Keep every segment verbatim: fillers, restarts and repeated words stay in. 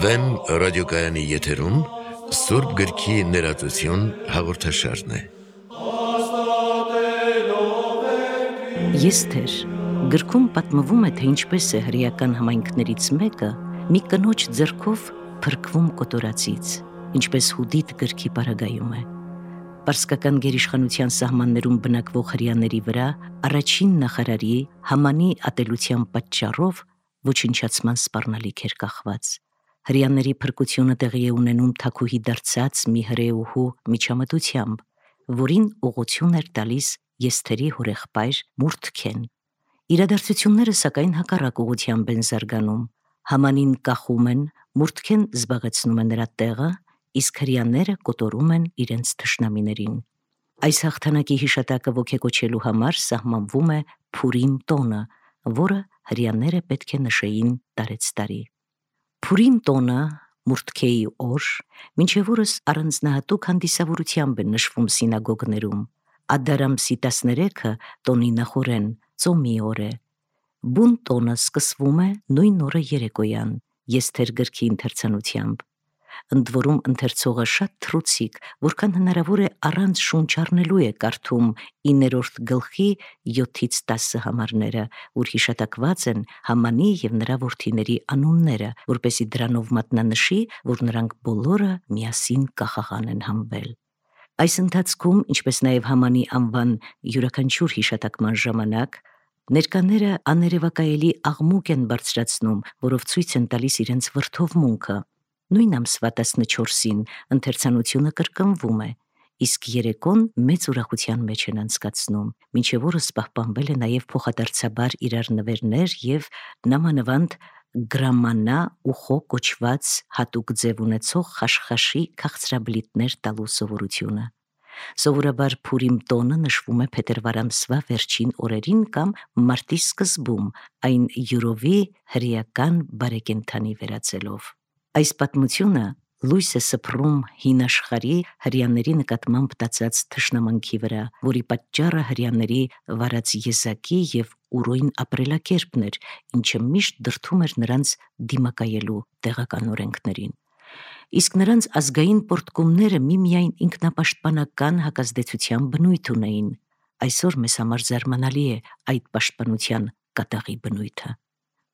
Վեմ ռադիոկայանի եթերում Սուրբ գրքի ներածություն հաղորդաշարն է։ Եսթեր գրքում պատմվում է, թե ինչպես է հրեական համայնքներից մեկը մի կնոջ ձեռքով փրկվում կոտորածից, ինչպես Հուդիթ գրքի պարագայում է։ Պարսկական գերիշխանության սահմաններում բնակվող հրեաների վրա առաջին նախարարի Համանի ատելության պատճառով ոչնչացման սպառնալիք էր կախված։ Հրեաների փրկությունը տեղի է ունենում թագուհի դարձած մի հրեուհու միջամտությամբ, որին ուղղություն էր տալիս Եսթերի հորեղբայր Մուրդքեն։ Իրադարձությունները սակայն հակառակ ուղղությամբ են զարգանում։ Haմանին կախում են, Մուրդքեն զբաղեցնում է նրա տեղը, իսկ հրեաները կոտորում են իրենց թշնամիներին։ Այս հաղթանակի հիշատակը ոգեկոչելու համար սահմանվում է Փուրիմ տոնը, որը հրեաները պետք է նշեին տարեցտարի։ Փուրիմ տոնը, Մուրդքեի օր, մինչև օրս առանձնահատուկ հանդիսավորությամբ է նշվում սինագոգներում։ Ադար ամսի տասներեքը տոնի նախօրեն, ծոմի օր է։ Բուն տոնը սկսվում է նույն օրը երեկոյան, Եսթեր գրքի ընթերցանությամբ։ Ընդ որում ընթերցողը շատ թռուցիկ, որքան հնարավոր է առանց շունչ առնելու է կարդում իններորդ գլխի յոթից տասը համարները, որ հիշատակված են Համանի և նրա որդիների անունները, որպեսզի դրանով մատնանշի, որ նրանք բոլորը միասին կախաղան են հանվել։ Այս ընթացքում, ինչպես նաև Համանի անվան յուրաքանչյուր հիշատակման ժամանակ, ներկաները աներևակայելի աղմուկ են բարձրացնում, որով ցույց են տալիս իրենց վրդովմունքը։ Նույն ամսվա տասնչորսին ընթերցանությունը կրկնվում է, իսկ երեկոն մեծ ուրախության մեջ են անցկացնում, մինչև օրս պահպանվել է նաև փոխադարձաբար իրար նվերներ և նամանվանդ գրամանա ու խո կոչված հատուկ ձև ունեցող խաշխաշի քաղցրաբլիթներ տալու սովորությունը։ Սովորաբար Փուրիմ տոնը նշվում է փետրվար ամսվա վերջին օրերին կամ մարտի սկզբում, այն յուրովի հրեական բարեկենդանի վերածելով։ Այս պատմությունը լույս է սփռում հին աշխարհի հրեաների նկատմամբ տածած թշնամանքի վրա, որի պատճառը հրեաների վարած եզակի և ուրույն ապրելակերպն էր, ինչը միշտ դրդում էր նրանց դիմակայելու տեղական օրենքներին։ Իսկ նրանց ազգային պոռթկումները միմիայն ինքնապաշտպանական հակազդեցության բնույթ ունեին։ Այսօր մեզ համար զարմանալի է այդ պաշտպանության կատաղի բնույթը։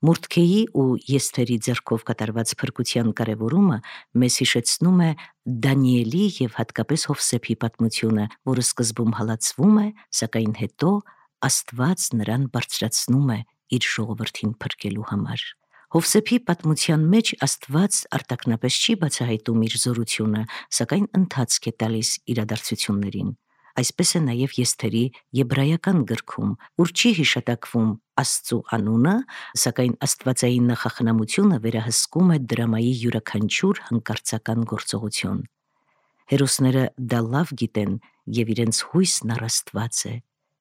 Մուրդքեի ու Եսթերի ձեռքով կատարված փրկության կարևորումը մեզ հիշեցնում է Դանիելի և հատկապես Հովսեփի պատմությունը, որը սկզբում հալածվում է, սակայն հետո Աստված նրան բարձրացնում է իր ժողովրդին փրկելու համար։ Հովսեփի պատմության մեջ Աստված արտաքնապես չի բացահայտում իր զորությունը, սակայն ընթացք է տալիս իրադարձություններին։ Այսպես է նաև Եսթերի եբրայական գրքում, որ չի հիշատակվում Աստծու անունը, սակայն աստվածային նախախնամությունը վերահսկում է դրամայի յուրաքանչյուր հանկարծական գործողություն։ Հերոսները դա լավ գիտեն և իրենց հույսն առ Աստված է,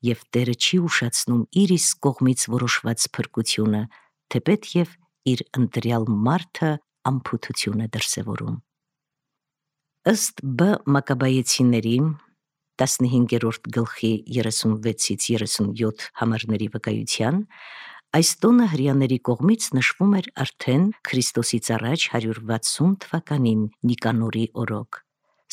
և Տերը չի ուշացնում իր իսկ կողմից որոշված փրկությունը, թեպետ և իր ընտրյալ մարդը անփութություն է դրսևորում։ Ըստ Բ Մակաբայեցիների տասնհինգերորդ գլխի երեսունվեցից երեսունյոթ համարների վկայության, այս տոնը հրեաների կողմից նշվում էր արդեն Քրիստոսից առաջ հարյուր վաթսուն թվականին Նիկանորի օրոք։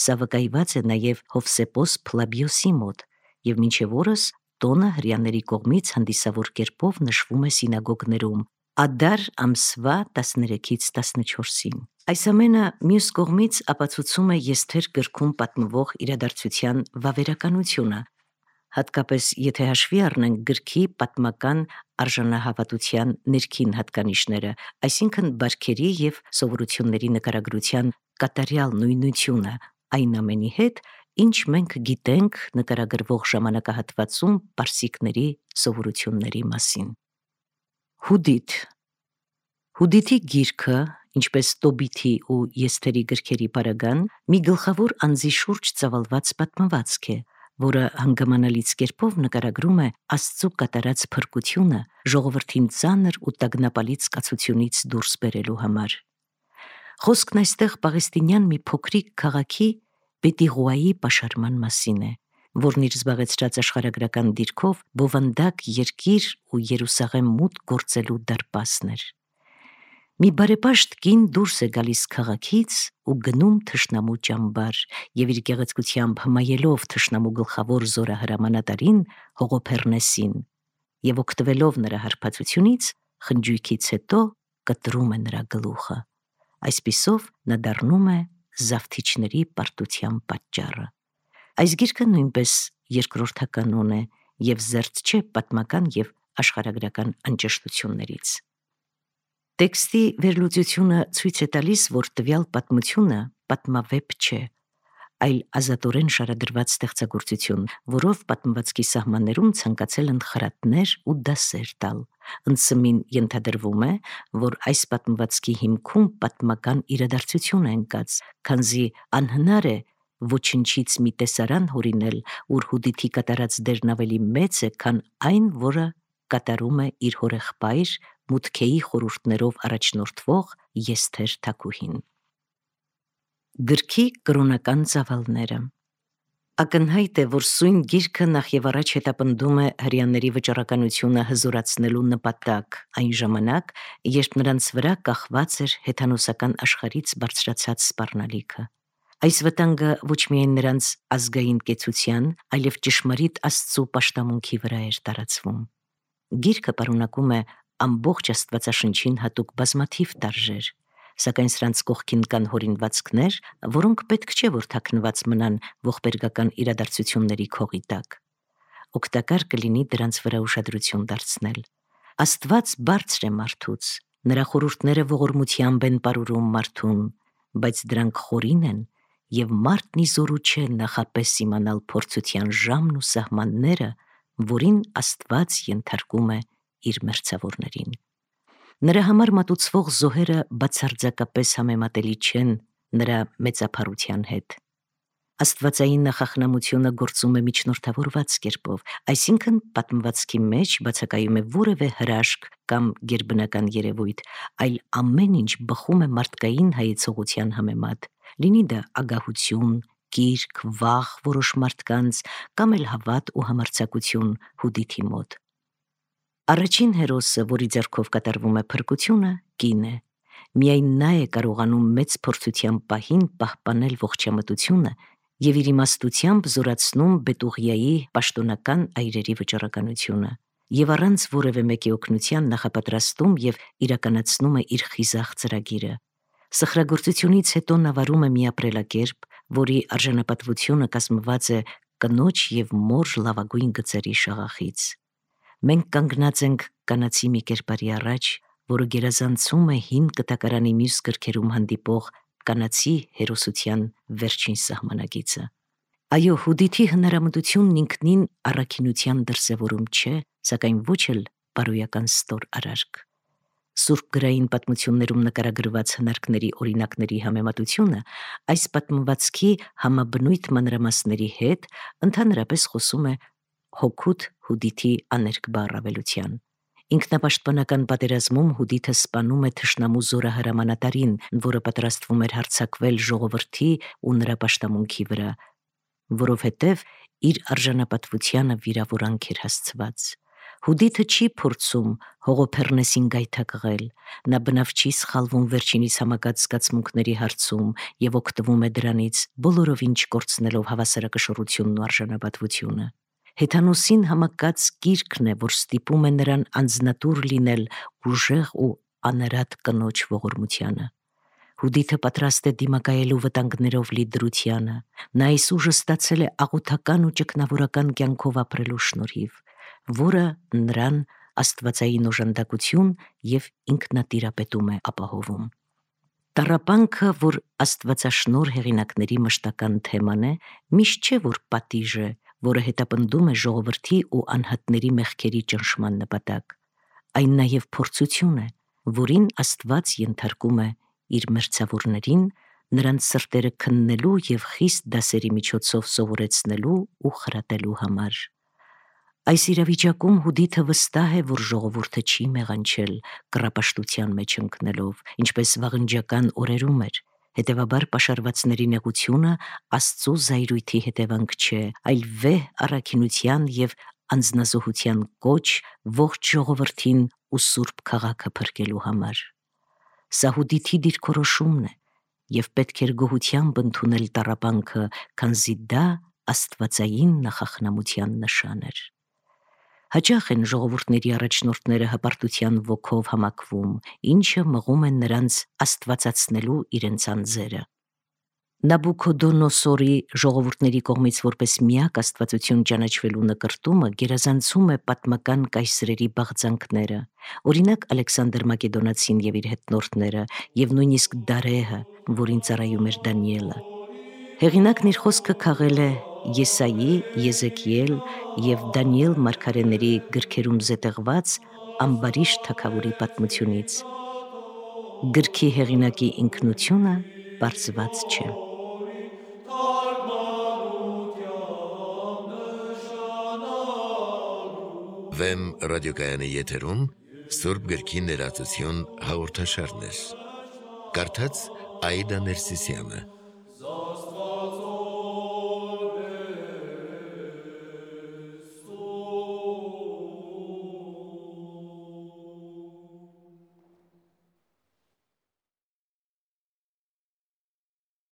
Սա վկայված է նաև Հովսեփոս Փլաբիոսի մոտ, և մինչև օրս տոնը հրեաների կողմից հանդիսավոր կերպով նշվում է սինագոգներում Ադար ամսվա տասներեքից տասնչորսին։ Այս ամենը մյուս կողմից ապացուցում է Եսթեր գրքում պատմվող իրադարձության վավերականությունը, հատկապես եթե հաշվի առնենք գրքի պատմական արժանահավատության ներքին հատկանիշները, այսինքն բարքերի և սովորությունների նկարագրության կատարյալ նույնությունը այն ամենի հետ, ինչ մենք գիտենք նկարագրվող ժամանակահատվածում պարսիկների սովորությունների մասին։ Հուդիթ Հուդիթի գիրքը, ինչպես Տոբիթի ու Եսթերի գրքերի պարագան, մի գլխավոր անձի շուրջ ծավալված պատմվածք է, որը հանգամանալից կերպով նկարագրում է Աստծու կատարած փրկությունը ժողովրդին ծանր ու տագնապալից կացությունից դուրս բերելու համար։ Խոսքն այստեղ պաղեստինյան մի փոքրիկ քաղաքի Բետիղուայի պաշարման մասին է, որն իր զբաղեցրած աշխարհագրական դիրքով բովանդակ երկիր ու Երուսաղեմ մուտք գործելու դարպասն էր։ Մի բարեպաշտ կին դուրս է գալիս քաղաքից ու գնում թշնամու ճամբար եւ իր գեղեցկությամբ հմայելով թշնամու գլխավոր զորահրամանատարին Հողոփեռնեսին եւ օգտվելով նրա հարբածությունից խնջույքից հետո կտրում է նրա գլուխը։ Այսպիսով նա դառնում է զավթիչների պարտության պատճառը։ Այս գիրքը նույնպես երկրորդականոն է եւ զերծ չէ պատմական եւ աշխարհագրական անճշտություններից։ Տեքստի վերլուծությունը ցույց է տալիս, որ տվյալ պատմությունը պատմավեպ չէ, այլ ազատորեն շարադրված ստեղծագործություն, որով պատմվածքի սահմաններում ցանկացել են խրատներ ու դասեր տալ։ Ընծմին ենթադրվում է, որ այս պատմվածքի հիմքում պատմական իրադարձություն է ընկած, քանզի անհնար է ոչնչից մի տեսարան հորինել, ուր Հուդիթի կատարած դերն ավելի մեծ է, քան այն, որը կատարում է իր հորեղբայր Մուդքեի խորհուրդներով առաջնորդվող Եսթեր թագուհին։ Գրքի կրոնական ծավալները։ Ակնհայտ է, որ սույն գիրքը նախ եւ առաջ հետապնդում է հրեաների վճռականությունը հզորացնելու նպատակ այն ժամանակ, երբ նրանց վրա կախված էր հեթանոսական աշխարհից բարձրացած սպառնալիքը։ Այս վտանգը ոչ միայն նրանց ազգային կեցության, այլև ճշմարիտ Աստծո պաշտամունքի վրա էր տարածվում։ Գիրքը պարունակում է ամբողջ Աստվածաշնչին հատուկ բազմաթիվ տարրեր, սակայն սրանց կողքին կան հորինվածքներ, որոնք պետք չէ որ թաքնված մնան ողբերգական իրադարձությունների քողի տակ։ Օգտակար կլինի դրանց վրա ուշադրություն դարձնել։ Աստված բարձր է մարդուց, նրա խորհուրդները ողորմությամբ են պարուրում մարդուն, բայց դրանք խորին են, եւ մարդն ի զորու չէ նախապես իմանալ փորձության ժամն ու սահմանները, որին Աստված ենթարկում է իր մերձավորներին։ Նրա համար մատուցվող զոհերը բացարձակապես համեմատելի չեն նրա մեծափառության հետ։ Աստվածային նախախնամությունը գործում է միջնորդավորված կերպով, այսինքն պատմվածքի մեջ բացակայում է որևէ հրաշք կամ գերբնական երևույթ, այլ ամեն ինչ բխում է մարդկային հայեցողության համեմատ, լինի դա ագահություն, կիրք, վախ որոշ մարդկանց կամ էլ հավատ ու համարձակություն Հուդիթի մոտ։ Առաջին հերոսը, որի ձեռքով կատարվում է փրկությունը, կին է։ Միայն նա է կարողանում մեծ փորձության պահին պահպանել ողջամտությունը եւ իր իմաստությամբ զորացնում Բետուղիայի պաշտոնական այրերի վճռականությունը եւ առանց որևէ մեկի օգնության նախապատրաստում եւ իրականացնում է իր խիզախ ծրագիրը։ Սխրագործությունից հետո նա վարում է մի ապրելակերպ, որի արժանապատվությունը կազմված է կնոջ եւ մոր լավագույն գծերի շաղախից։ Մենք կանգնած ենք կանացի մի կերպարի առաջ, որը գերազանցում է հին կտակարանի մյուս գրքերում հանդիպող կանացի հերոսության վերջին սահմանագիծը։ Այո, Հուդիթի հնարամտությունն ինքնին առաքինության դրսևորում չէ, սակայն ոչ էլ բարոյական ստոր արարք։ Սուրբ գրային պատմություններում նկարագրված հնարքների օրինակների համեմատությունը այս պատմվածքի համաբնույթ մանրամասների հետ ընդհանրապես խոսում է հոգուտ Հուդիթի աներկբա առավելության։ Ինքնապաշտպանական պատերազմում Հուդիթը սպանում է թշնամու զորահրամանատարին, որը պատրաստվում էր հարձակվել ժողովրդի ու նրա պաշտամունքի վրա, որովհետև իր արժանապատվությանը վիրավորանք էր հասցված։ Հուդիթը չի փորձում Հողոփեռնեսին գայթակղել, նա բնավ չի սխալվում վերջինիս համակած զգացմունքների հարցում եւ օգտվում է դրանից, բոլորովին չկորցնելով հավասարակշռությունն ու արժանապատվությունը։ Հեթանոսին համակած գիրքն է, որ ստիպում է նրան անձնատուր լինել ուժեղ ու անարատ կնոջ ողորմությանը։ Հուդիթը պատրաստ է դիմակայելու վտանգներով լի դրությանը, նա այս ուժը ստացել է աղոթական ու ճգնավորական կյանքով ապրելու շնորհիվ, որը նրան աստվածային օժանդակություն եւ ինքնատիրապետում է ապահովում։ Տառապանքը, որ աստվածաշնոր հեղինակների մշտական թեման է, միշտ չէ որ պատիժ է, որը հետապնդում է ժողովրդի ու անհատների մեղքերի ճնշման նպատակ, այն նաև փորձություն է, որին Աստված ենթարկում է իր մերձավորներին, նրանց սրտերը քննելու եւ խիստ դասերի միջոցով սովորեցնելու ու խրատելու համար։ Այս իրավիճակում Հուդիթը վստահ է, որ ժողովուրդը չի մեղանչել կռապաշտության մեջ ընկնելով, ինչպես վաղնջական օրերում էր, Հետևաբար պաշարվածների նեղությունը Աստծո զայրույթի հետևանք չէ, այլ վեհ առաքինության և անձնազոհության կոչ ողջ ժողովրդին ու սուրբ քաղաքը փրկելու համար։ Սա Հուդիթի դիրքորոշումն է, և պետք էր գոհությամբ ընդունել տառապանքը, քանզի դա աստվածային նախախնամության նշան էր։ Հաճախ են ժողովուրդների առաջնորդները հպարտության ոգով համակվում, ինչը մղում է նրանց աստվածացնելու իրենց անձերը։ Նաբուքոդոնոսորի ժողովուրդների կողմից որպես միակ աստվածություն ճանաչվելու նկրտումը գերազանցում է պատմական կայսրերի բաղձանքները, օրինակ Ալեքսանդր Մակեդոնացին և իր հետնորդները, և նույնիսկ Դարեհը, որին ծառայում էր Դանիելը։ Հեղինակն իր խոսքը քաղել է Եսայի, Եզեկիել և Դանիել մարգարեների գրքերում զետեղված ամբարիշտ թագավորի պատմությունից։ Գրքի հեղինակի ինքնությունը պարզված չէ։ Վեմ ռադիոկայանի եթերում Սուրբ գրքի ներածություն հաղորդաշարներ։ Կարդաց Աիդա Ներսիսյանը։